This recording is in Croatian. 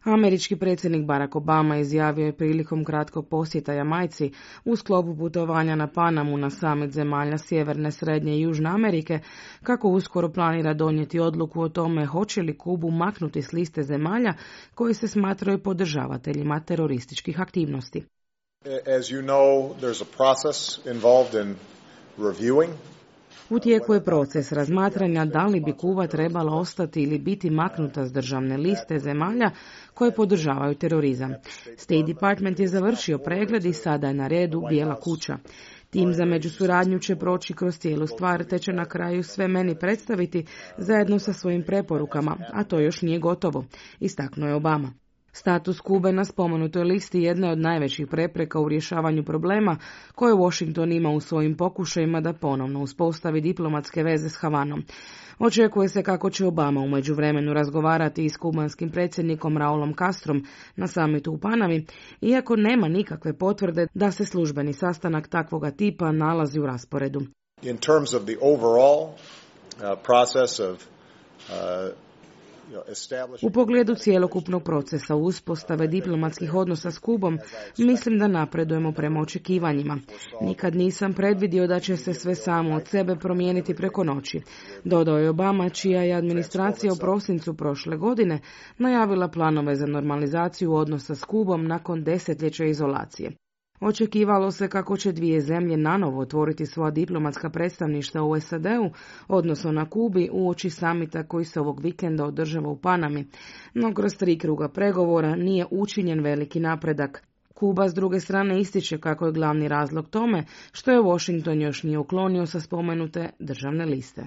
Američki predsjednik Barack Obama izjavio je prilikom kratkog posjeta Jamajci u sklopu putovanja na Panamu na summit zemalja Sjeverne, Srednje i Južne Amerike kako uskoro planira donijeti odluku o tome hoće li Kubu maknuti s liste zemalja koji se smatraju podržavateljima terorističkih aktivnosti. As you know, there's a process involved in reviewing. U tijeku je proces razmatranja da li bi Kuba trebala ostati ili biti maknuta s državne liste zemalja koje podržavaju terorizam. State Department je završio pregled i sada je na redu Bijela kuća. Tim za međusuradnju će proći kroz cijelu stvar te će na kraju sve meni predstaviti zajedno sa svojim preporukama, a to još nije gotovo, istaknuo je Obama. Status Kube na spomenutoj listi jedna je od najvećih prepreka u rješavanju problema koje Washington ima u svojim pokušajima da ponovno uspostavi diplomatske veze s Havanom. Očekuje se kako će Obama u međuvremenu razgovarati i s kubanskim predsjednikom Raulom Castrom na samitu u Panami, iako nema nikakve potvrde da se službeni sastanak takvoga tipa nalazi u rasporedu. In terms of the overall process of U pogledu cjelokupnog procesa uspostave diplomatskih odnosa s Kubom, mislim da napredujemo prema očekivanjima. Nikad nisam predvidio da će se sve samo od sebe promijeniti preko noći, dodao je Obama, čija je administracija u prosincu prošle godine najavila planove za normalizaciju odnosa s Kubom nakon desetljeća izolacije. Očekivalo se kako će dvije zemlje nanovo otvoriti svoja diplomatska predstavništva u SAD-u, odnosno na Kubi, uoči samita koji se ovog vikenda održava u Panami, no kroz 3 kruga pregovora nije učinjen veliki napredak. Kuba s druge strane ističe kako je glavni razlog tome što je Washington još nije uklonio sa spomenute državne liste.